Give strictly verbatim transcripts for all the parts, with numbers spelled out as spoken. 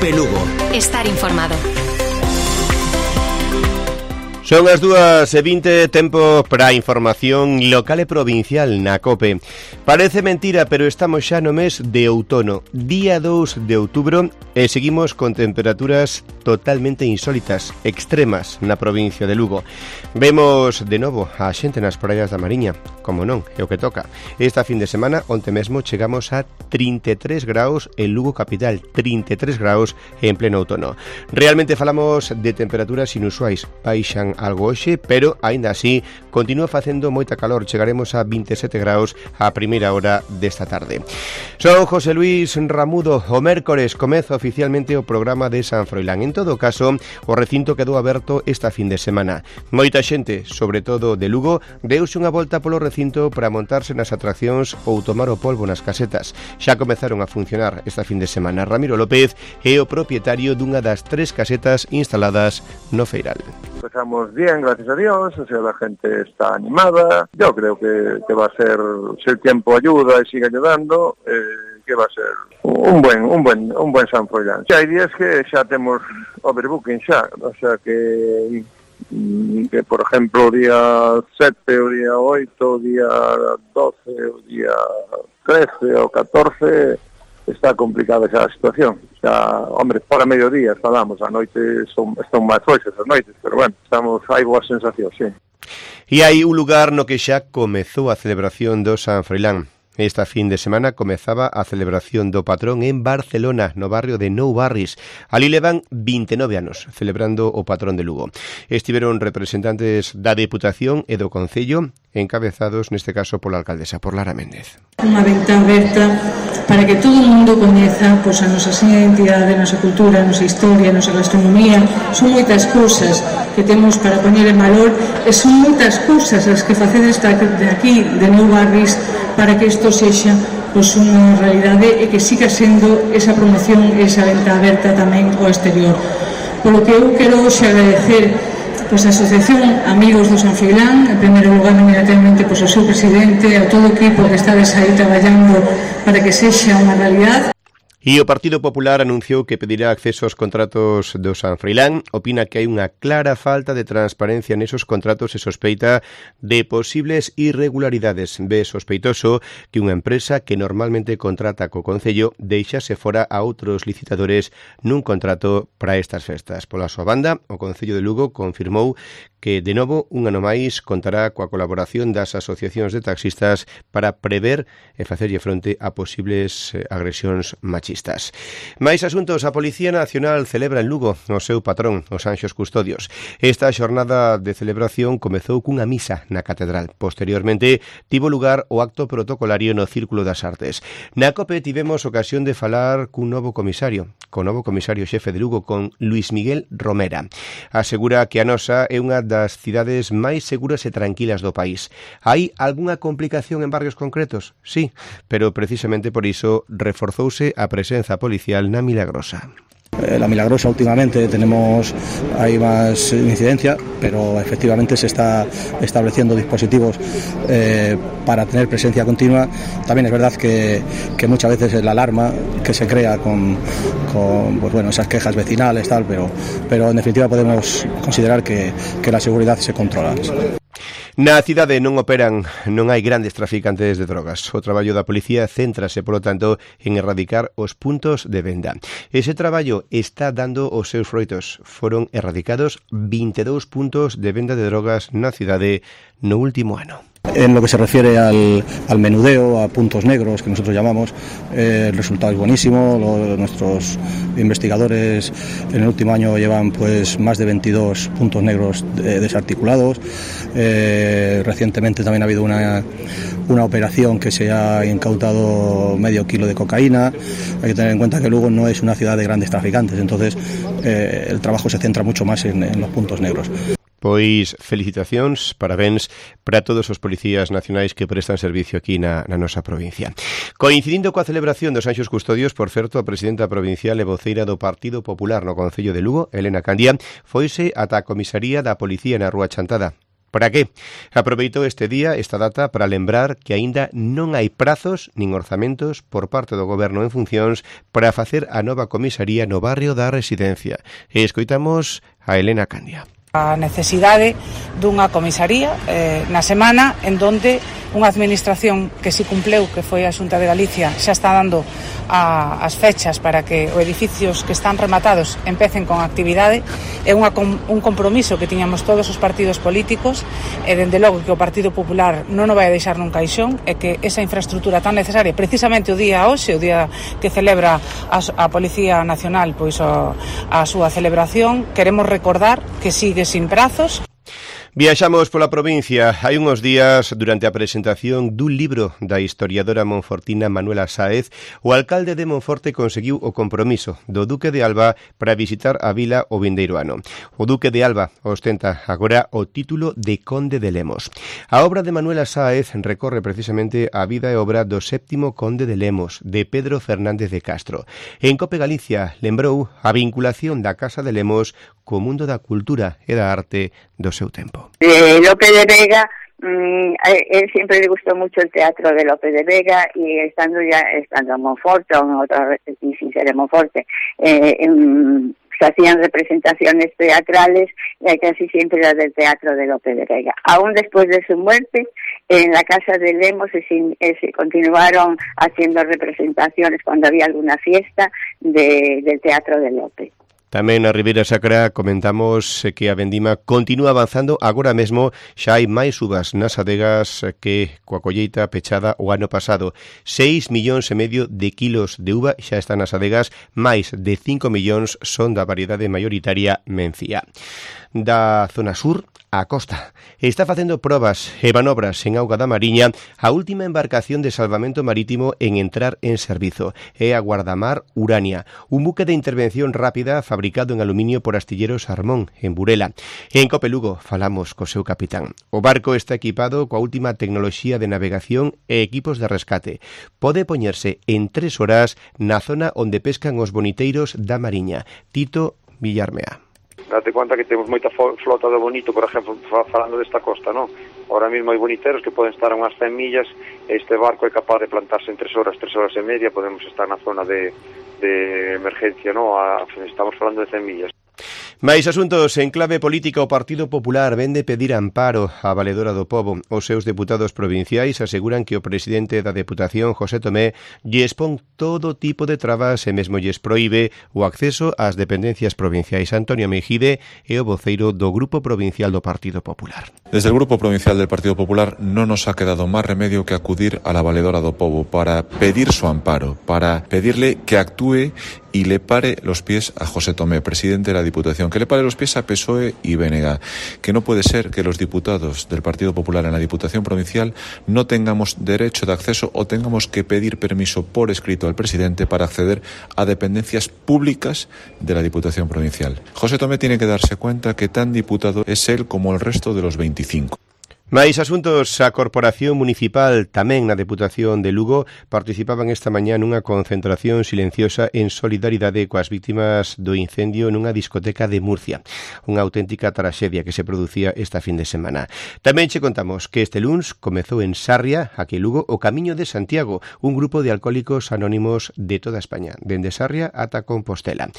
COPE Lugo. Estar informado. Son as dúas e vinte, tempo para a información local e provincial na COPE. Parece mentira, pero estamos xa no mes de outono, día dous de outubro, e seguimos con temperaturas totalmente insólitas, extremas na provincia de Lugo. Vemos de novo a xente nas praias da Mariña, como non, é o que toca. Esta fin de semana, onte mesmo, chegamos a trinta e tres graus en Lugo capital, trinta e tres graus en pleno outono. Realmente falamos de temperaturas inusuais, baixan algo hoxe, pero aínda así continúa facendo moita calor. Chegaremos a vinte e sete graus a primeira hora desta tarde. Son José Luis Ramudo. O mércores comeza oficialmente o programa de San Froilán. En todo caso, o recinto quedou aberto esta fin de semana. Moita xente, sobre todo de Lugo, deuse unha volta polo recinto para montarse nas atraccións ou tomar o polvo nas casetas. Xa comezaron a funcionar esta fin de semana. Ramiro López é o propietario dunha das tres casetas instaladas no Feiral. Empezamos bien, gracias a Dios, o sea, la gente está animada. Yo creo que, que va a ser, si el tiempo ayuda y sigue ayudando, eh, que va a ser un buen un buen un buen San Froilán. Xa hai días que xa temos overbooking xa, o sea que que por exemplo o día sete, o día oito, o día doce, o día trece o catorce está complicada esa situación. Xa, hombre, para mediodía falamos, a noite son, están máis foixas as noites, pero bueno, estamos, hai boas sensacións, sí. E hai un lugar no que xa comezou a celebración do San Froilán. Esta fin de semana comezaba a celebración do patrón en Barcelona, no barrio de Nou Barris. Ali levan vinte e nove anos celebrando o patrón de Lugo. Estiveron representantes da Deputación e do Concello, encabezados neste caso pola alcaldesa, por Lara Méndez. Unha venta aberta para que todo o mundo coñeza pois, a nosa identidade, a nosa cultura, a nosa historia, a nosa gastronomía. Son moitas cousas que temos para poñer en valor e son moitas cousas as que facedes de aquí, de Nou Barris, para que isto sexa pois, unha realidade e que siga sendo esa promoción e esa venta aberta tamén ao exterior. Polo que eu quero hoxe agradecer pois, a Asociación Amigos do San Froilán, en primeiro lugar, inmediatamente, pois, ao seu presidente, a todo o equipo que estades aí traballando para que sexa unha realidade. E o Partido Popular anunciou que pedirá acceso aos contratos do San Froilán. Opina que hai unha clara falta de transparencia nesos contratos e sospeita de posibles irregularidades. Ve sospeitoso que unha empresa que normalmente contrata co Concello deixase fora a outros licitadores nun contrato para estas festas. Pola súa banda, o Concello de Lugo confirmou que, de novo, un ano máis contará coa colaboración das asociacións de taxistas para prever e facerlle fronte a posibles agresións machistas. Mais asuntos, a Policía Nacional celebra en Lugo o seu patrón, os Anxos Custodios. Esta xornada de celebración comezou cunha misa na Catedral. Posteriormente, tivo lugar o acto protocolario no Círculo das Artes. Na COPE tivemos ocasión de falar cun novo comisario, con novo comisario xefe de Lugo, con Luis Miguel Romera. Asegura que a nosa é unha das cidades máis seguras e tranquilas do país. Hai algunha complicación en barrios concretos? Sí, pero precisamente por iso reforzouse a presenza policial na Milagrosa. La Milagrosa últimamente tenemos, hay más incidencia, pero efectivamente se está estableciendo dispositivos eh, para tener presencia continua. También es verdad que, que muchas veces la alarma que se crea con, con pues bueno, esas quejas vecinales, tal, pero, pero en definitiva podemos considerar que, que la seguridad se controla. Na cidade non operan, non hai grandes traficantes de drogas. O traballo da policía céntrase, polo tanto, en erradicar os puntos de venda. Ese traballo está dando os seus froitos. Foron erradicados vinte e dous puntos de venda de drogas na cidade no último ano. En lo que se refiere al, al menudeo, a puntos negros que nosotros llamamos, eh, el resultado es buenísimo. Lo, nuestros investigadores en el último año llevan pues más de veintidós puntos negros de, desarticulados. Eh, recientemente también ha habido una, una operación que se ha incautado medio kilo de cocaína. Hay que tener en cuenta que Lugo no es una ciudad de grandes traficantes, entonces eh, el trabajo se centra mucho más en, en los puntos negros. Pois felicitacións, parabéns para todos os policías nacionais que prestan servicio aquí na, na nosa provincia. Coincidindo coa celebración dos Anxos Custodios, por certo, a presidenta provincial e voceira do Partido Popular no Concello de Lugo, Elena Candia, foise ata a comisaría da Policía na Rúa Chantada. Para que? Aproveitou este día, esta data, para lembrar que aínda non hai prazos nin orzamentos por parte do Goberno en funcións para facer a nova comisaría no barrio da Residencia. E escoitamos a Elena Candia. A necesidade dunha comisaría eh, na semana en donde unha administración que si cumpleu, que foi a Xunta de Galicia, xa está dando a, as fechas para que os edificios que están rematados empecen con actividade. É unha, un compromiso que tiñamos todos os partidos políticos e dende logo que o Partido Popular non o vai a deixar nun caixón e que esa infraestructura tan necesaria, precisamente o día hoxe, o día que celebra a, a Policía Nacional pois o, a súa celebración, queremos recordar que sigue sin prazos. Viaxamos pola provincia. Hai uns días, durante a presentación dun libro da historiadora monfortina Manuela Sáez, o alcalde de Monforte conseguiu o compromiso do Duque de Alba para visitar a vila o vindeiro ano. O Duque de Alba ostenta agora o título de Conde de Lemos. A obra de Manuela Sáez recorre precisamente a vida e obra do séptimo Conde de Lemos, de Pedro Fernández de Castro. En Cope Galicia lembrou a vinculación da Casa de Lemos co mundo da cultura e da arte do seu tempo. De Lope de Vega, mmm, a él siempre le gustó mucho el teatro de Lope de Vega y estando ya estando en Monforte o en otra y sin ser en Monforte, eh, en, se hacían representaciones teatrales y casi siempre era del teatro de Lope de Vega. Aún después de su muerte, en la Casa de Lemos se, se continuaron haciendo representaciones cuando había alguna fiesta de, del teatro de Lope. Tamén na Ribeira Sacra comentamos que a vendima continúa avanzando. Agora mesmo xa hai máis uvas nas adegas que coa colleita pechada o ano pasado. seis millóns e medio de kilos de uva xa están nas adegas, máis de cinco millóns son da variedade maioritaria Mencía. Da zona sur a costa. Está facendo probas e manobras en auga da Mariña a última embarcación de salvamento marítimo en entrar en servizo. É a Guardamar Urania, un buque de intervención rápida fabricado en aluminio por Astilleros Armón, en Burela. En Cope Lugo falamos co seu capitán. O barco está equipado coa última tecnoloxía de navegación e equipos de rescate. Pode poñerse en tres horas na zona onde pescan os boniteiros da Mariña. Tito Villarmea. Date conta que temos moita flota do bonito, por exemplo, falando desta costa, non? Ahora mesmo hai boniteros que poden estar a unhas cen millas e este barco é capaz de plantarse en tres horas, tres horas e media, podemos estar na zona de, de emergencia, non? A, estamos falando de cen millas. Mais asuntos en clave política. O Partido Popular vende pedir amparo á Valedora do Pobo. Os seus deputados provinciais aseguran que o presidente da Deputación, José Tomé, lles pon todo tipo de trabas e mesmo lles proíbe o acceso ás dependencias provinciais. Antonio Mejide é o voceiro do Grupo Provincial do Partido Popular. Desde el Grupo Provincial del Partido Popular no nos ha quedado más remedio que acudir a la Valedora do Pobo para pedir su amparo, para pedirle que actúe y le pare los pies a José Tomé, presidente de la Diputación, que le pare los pies a P S O E y B N G, que no puede ser que los diputados del Partido Popular en la Diputación Provincial no tengamos derecho de acceso o tengamos que pedir permiso por escrito al presidente para acceder a dependencias públicas de la Diputación Provincial. José Tomé tiene que darse cuenta que tan diputado es él como el resto de los veinticinco. Mais asuntos, a Corporación Municipal, tamén na Deputación de Lugo, participaban esta mañá nunha concentración silenciosa en solidaridade coas vítimas do incendio nunha discoteca de Murcia. Unha auténtica traxedia que se producía esta fin de semana. Tamén che contamos que este luns comezou en Sarria, aquí en Lugo, o Camiño de Santiago, un grupo de alcohólicos anónimos de toda España, dende Sarria ata Compostela.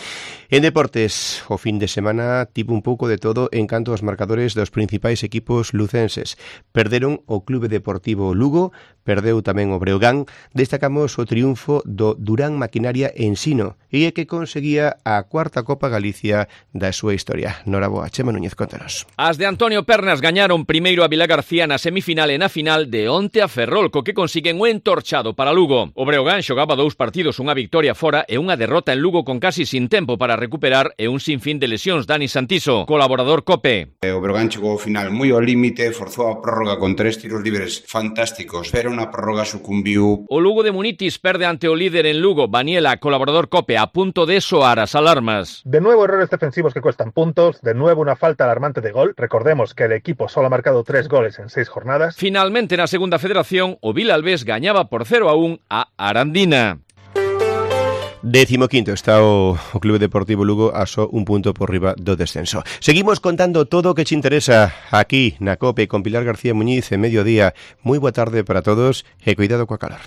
En deportes, o fin de semana tivo un pouco de todo en canto aos marcadores dos principais equipos lucenses. Perderon o Clube Deportivo Lugo, perdeu tamén o Breogán. Destacamos o triunfo do Durán Maquinaria Ensino e é que conseguía a cuarta Copa Galicia da súa historia. Noraboa, Chema Núñez, contanos. As de Antonio Pernas gañaron primeiro a Vila García na semifinal e na final de onte a Ferrol, co que consiguen o entorchado para Lugo. O Breogán xogaba dous partidos, unha victoria fora e unha derrota en Lugo con casi sin tempo para recuperar e un sinfín de lesións. Dani Santiso, colaborador COPE. O Breogán chegou ao final moi ao límite, forzou a prórroga con tres tiros libres fantásticos, pero na prórroga sucumbiu. O Lugo de Munitis perde ante o líder en Lugo. Baniela, colaborador COPE, a punto de soar as alarmas. De nuevo errores defensivos que cuestan puntos, de nuevo una falta alarmante de gol. Recordemos que el equipo solo ha marcado tres goles en seis jornadas. Finalmente, na segunda federación, o Vilalbés gañaba por cero a un a Arandina. Décimo quinto está o, o Clube Deportivo Lugo a só un punto por riba do descenso. Seguimos contando todo o que te interesa aquí na COPE con Pilar García Muñiz en mediodía. Moi boa tarde para todos e cuidado coa calor.